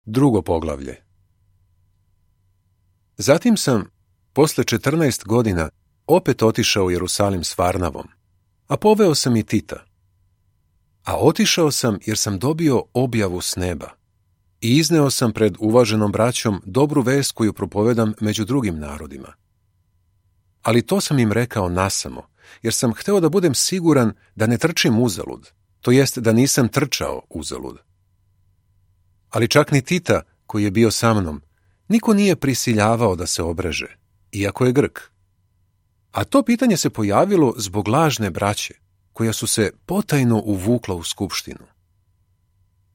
Drugo poglavlje. Zatim sam, posle 14 godina, opet otišao u Jerusalim s Varnavom, a poveo sam i Tita. A otišao sam jer sam dobio objavu s neba i izneo sam pred uvaženom braćom dobru vest koju propovedam među drugim narodima. Ali to sam im rekao nasamo, jer sam hteo da budem siguran da ne trčim uzalud, to jest da nisam trčao uzalud. Ali čak ni Tita, koji je bio sa mnom, niko nije prisiljavao da se obreže, iako je Grk. A to pitanje se pojavilo zbog lažne braće, koja su se potajno uvukla u skupštinu.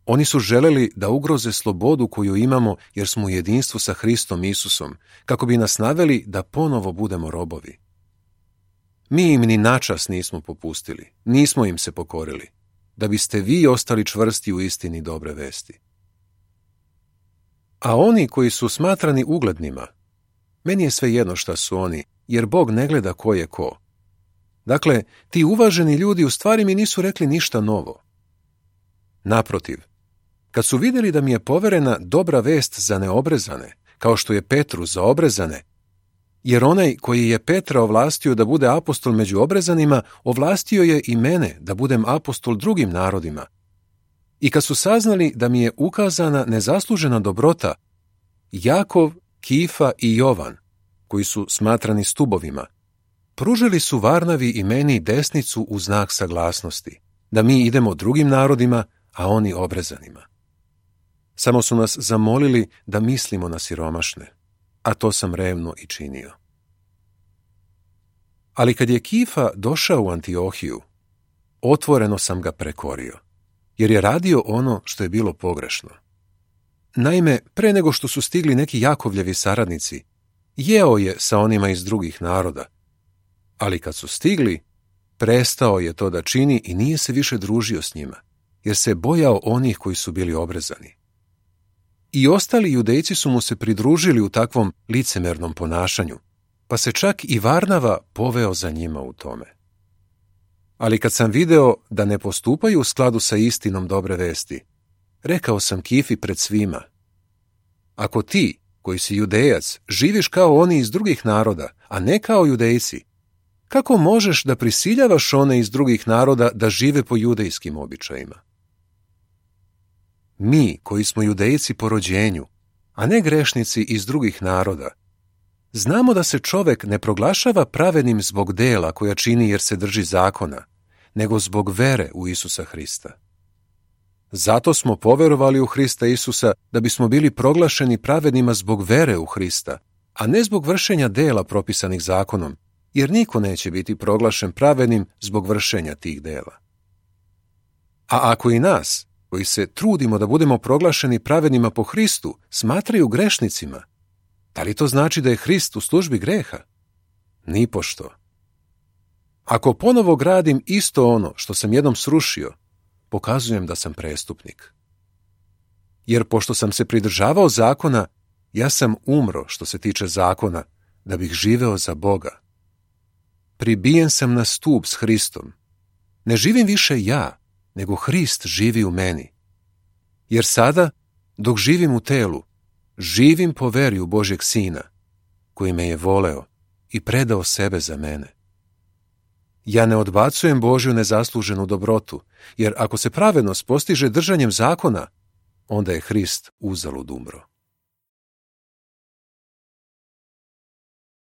Oni su želeli da ugroze slobodu koju imamo jer smo u jedinstvu sa Hristom Isusom, kako bi nas naveli da ponovo budemo robovi. Mi im ni načas nismo popustili, nismo im se pokorili, da biste vi ostali čvrsti u istini dobre vesti. A oni koji su smatrani uglednima, meni je svejedno šta su oni, jer Bog ne gleda ko je ko. Dakle, ti uvaženi ljudi u stvari mi nisu rekli ništa novo. Naprotiv, kad su vidjeli da mi je poverena dobra vest za neobrezane, kao što je Petru za obrezane, jer onaj koji je Petra ovlastio da bude apostol među obrezanima, ovlastio je i mene da budem apostol drugim narodima. I kad su saznali da mi je ukazana nezaslužena dobrota, Jakov, Kifa i Jovan, koji su smatrani stubovima, pružili su Varnavi i meni desnicu u znak saglasnosti, da mi idemo drugim narodima, a oni obrezanima. Samo su nas zamolili da mislimo na siromašne, a to sam revno i činio. Ali kad je Kifa došao u Antiohiju, otvoreno sam ga prekorio, jer je radio ono što je bilo pogrešno. Naime, pre nego što su stigli neki Jakovljevi saradnici, jeo je sa onima iz drugih naroda, ali kad su stigli, prestao je to da čini i nije se više družio s njima, jer se bojao onih koji su bili obrezani. I ostali judejci su mu se pridružili u takvom licemernom ponašanju, pa se čak i Varnava poveo za njima u tome. Ali kad sam video da ne postupaju u skladu sa istinom dobre vesti, rekao sam Kifi pred svima: ako ti, koji si judejac, živiš kao oni iz drugih naroda, a ne kao judejci, kako možeš da prisiljavaš one iz drugih naroda da žive po judejskim običajima? Mi, koji smo judejci po rođenju, a ne grešnici iz drugih naroda, znamo da se čovek ne proglašava pravednim zbog dela koja čini jer se drži zakona, nego zbog vere u Isusa Hrista. Zato smo poverovali u Hrista Isusa da bismo bili proglašeni pravednima zbog vere u Hrista, a ne zbog vršenja dela propisanih zakonom, jer niko neće biti proglašen pravednim zbog vršenja tih dela. A ako i nas, koji se trudimo da budemo proglašeni pravednima po Hristu, smatraju grešnicima, da li to znači da je Hrist u službi greha? Nipošto. Ako ponovo gradim isto ono što sam jednom srušio, pokazujem da sam prestupnik. Jer pošto sam se pridržavao zakona, ja sam umro što se tiče zakona, da bih živeo za Boga. Pribijen sam na stup s Hristom. Ne živim više ja, nego Hrist živi u meni. Jer sada, dok živim u telu, živim po veri u Božjeg Sina, koji me je voleo i predao sebe za mene. Ja ne odbacujem Božju nezasluženu dobrotu, jer ako se pravednost postiže držanjem zakona, onda je Hrist uzalud umro.